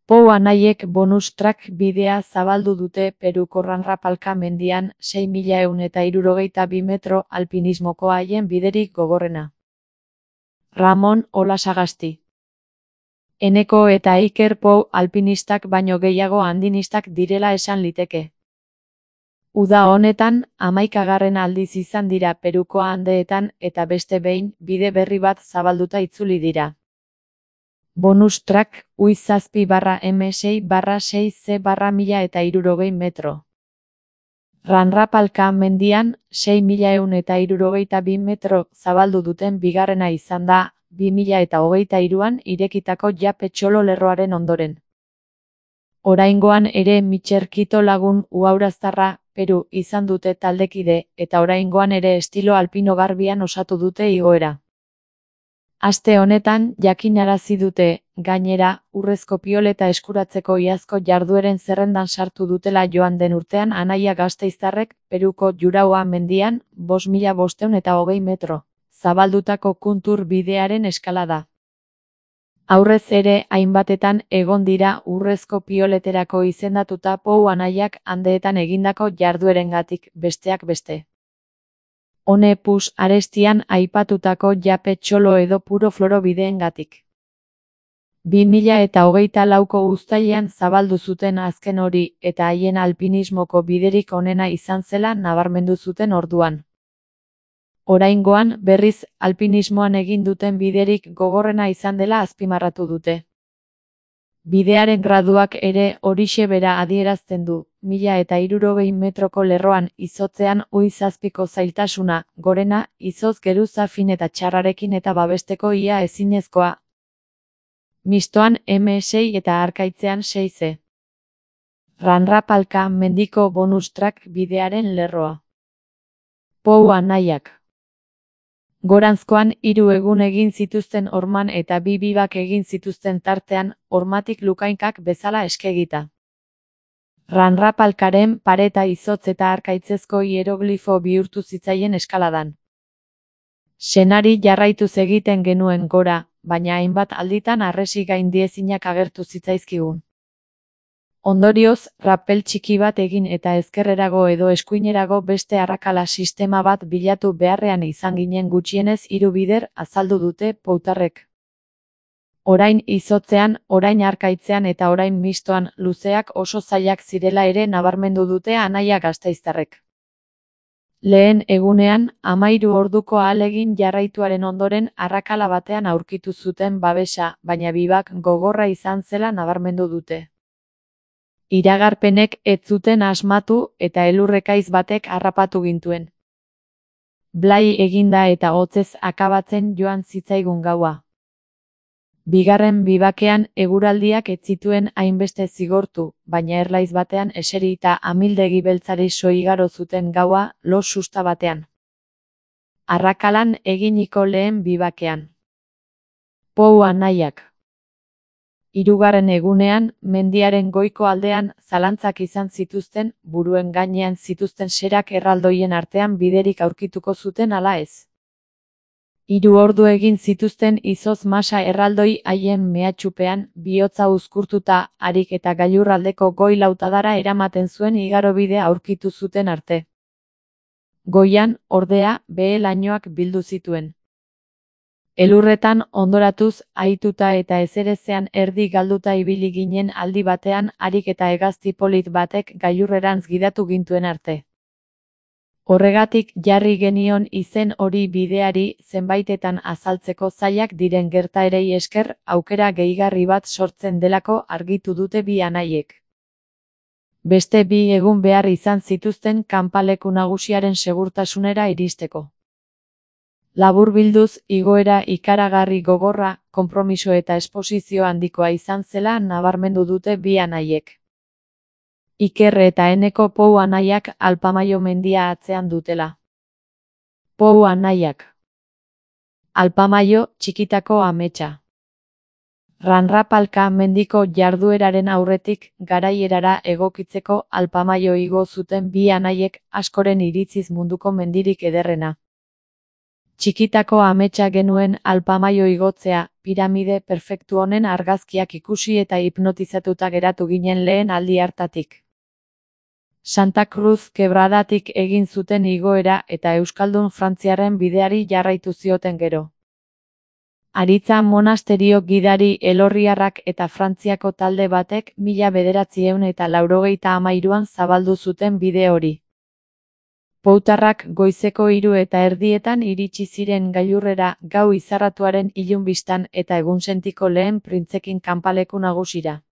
Pou anaiek bonus track bidea zabaldu dute Peruko Ranrapalka mendian 6.162 metro alpinismoko haien biderik gogorrena. Ramon Olasagasti. Eneko eta Iker Pou alpinistak baino gehiago andinistak direla esan liteke. Uda honetan, 11. aldiz izan dira Peruko Andeetan eta beste behin, bide berri bat zabalduta itzuli dira. Bonus track, UI7/M6/6C/1060 metro. Ranrapalka mendian, 6.162 metro zabaldu duten bigarrena izan da, 2023an irekitako Jape Txolo lerroaren ondoren. Oraingoan ere Mitxer Kito lagun uhauraztarra, Peru, izan dute taldekide, eta oraingoan ere estilo alpino garbian osatu dute igoera. Aste honetan, jakinarazi dute, gainera, urrezko pioleta eskuratzeko iazko jardueren zerrendan sartu dutela joan den urtean anaia gasteiztarrek, Peruko Juraua mendian, 5.520 metro, zabaldutako kuntur bidearen eskalada. Aurrez ere, hainbatetan egon dira urrezko pioleterako izendatuta Pou anaiak Andeetan egindako jarduerengatik, besteak beste. Hone Pus arestian aipatutako Jape Txolo edo Puro Floro bideengatik. 2024ko uztailean zabaldu zuten azken hori eta haien alpinismoko biderik onena izan zela nabarmendu zuten orduan. Oraingoan, berriz, alpinismoan egin duten biderik gogorrena izan dela azpimarratu dute. Bidearen graduak ere horixe bera adierazten du, 1.060 metroko lerroan izotzean UI7ko zailtasuna, gorena, izotz geruza fin eta txarrarekin eta babesteko ia ezinezkoa. Mistoan M6 eta harkaitzean 6C. Ranrapalka mendiko bonus track bidearen lerroa. Pou anaiak. Goranzkoan 3 egun egin zituzten horman eta 2 bibak egin zituzten tartean, hormatik lukainkak bezala eskegita. Ranrapalkaren pareta izotz eta arkaitzezko hieroglifo bihurtu zitzaien eskaladan. Senari jarraituz egiten genuen gora, baina hainbat alditan harresi gaindiezinak agertu zitzaizkigun. Ondorioz, rappel txiki bat egin eta ezkerrerago edo eskuinerago beste arrakala sistema bat bilatu beharrean izan ginen gutxienez 3 bider, azaldu dute poutarrek. Orain izotzean, orain harkaitzean eta orain mistoan, luzeak oso zailak zirela ere nabarmendu dute anaia gasteiztarrek. Lehen egunean, 13 orduko ahalegin jarraituaren ondoren arrakala batean aurkitu zuten babesa, baina bibak gogorra izan zela nabarmendu dute. Iragarpenek ez zuten asmatu eta elurrekaiz batek harrapatu gintuen. Blai eginda eta hotzez akabatzen joan zitzaigun gaua. Bigarren bibakean eguraldiak ez zituen hainbeste zigortu, baina erlaiz batean eseri eta amildegi beltzari soigaro zuten gaua lo susta batean. Arrakalan eginiko lehen bibakean. Pou anaiak. 3. egunean, mendiaren goiko aldean, zalantzak izan zituzten, buruen gainean zituzten serak erraldoien artean biderik aurkituko zuten ala ez. 3 ordu egin zituzten izotz masa erraldoi haien mehatxupean, bihotza uzkurtuta, harik eta gailurraldeko goi lautadara eramaten zuen igarobidea aurkitu zuten arte. Goian, ordea, behe lainoak bildu zituen. Elurretan ondoratuz, ahituta eta ezerezean erdi galduta ibili ginen aldi batean harik eta hegazti polit batek gailurrerantz gidatu gintuen arte. Horregatik jarri genion izen hori bideari zenbaitetan azaltzeko zailak diren gertaerei esker aukera gehigarri bat sortzen delako argitu dute bi anaiek. Beste 2 egun behar izan zituzten kanpaleku nagusiaren segurtasunera iristeko. Laburbilduz, igoera ikaragarri gogorra, konpromiso eta esposizio handikoa izan zela nabarmendu dute bi anaiek. Iker eta Eneko Pou anaiak Alpamaio mendia atzean dutela. Pou anaiak. Alpamaio, txikitako ametsa. Ranrapalka mendiko jardueraren aurretik, garaierara egokitzeko Alpamaio igo zuten bi anaiek askoren iritziz munduko mendirik ederrena. Txikitako ametsa genuen Alpamaio igotzea, piramide perfektu honen argazkiak ikusi eta hipnotizatuta geratu ginen lehen aldi hartatik. Santa Cruz Quebradatik egin zuten igoera eta euskaldun frantziarren bideari jarraitu zioten gero. Aritza monasterio gidari elorriarrak eta Frantziako talde batek 1983an zabaldu zuten bide hori. Poutarrak goizeko 3:30 iritsi ziren gailurrera gau izarratuaren ilun bistan eta egunsentiko lehen printzekin kanpaleku nagusira.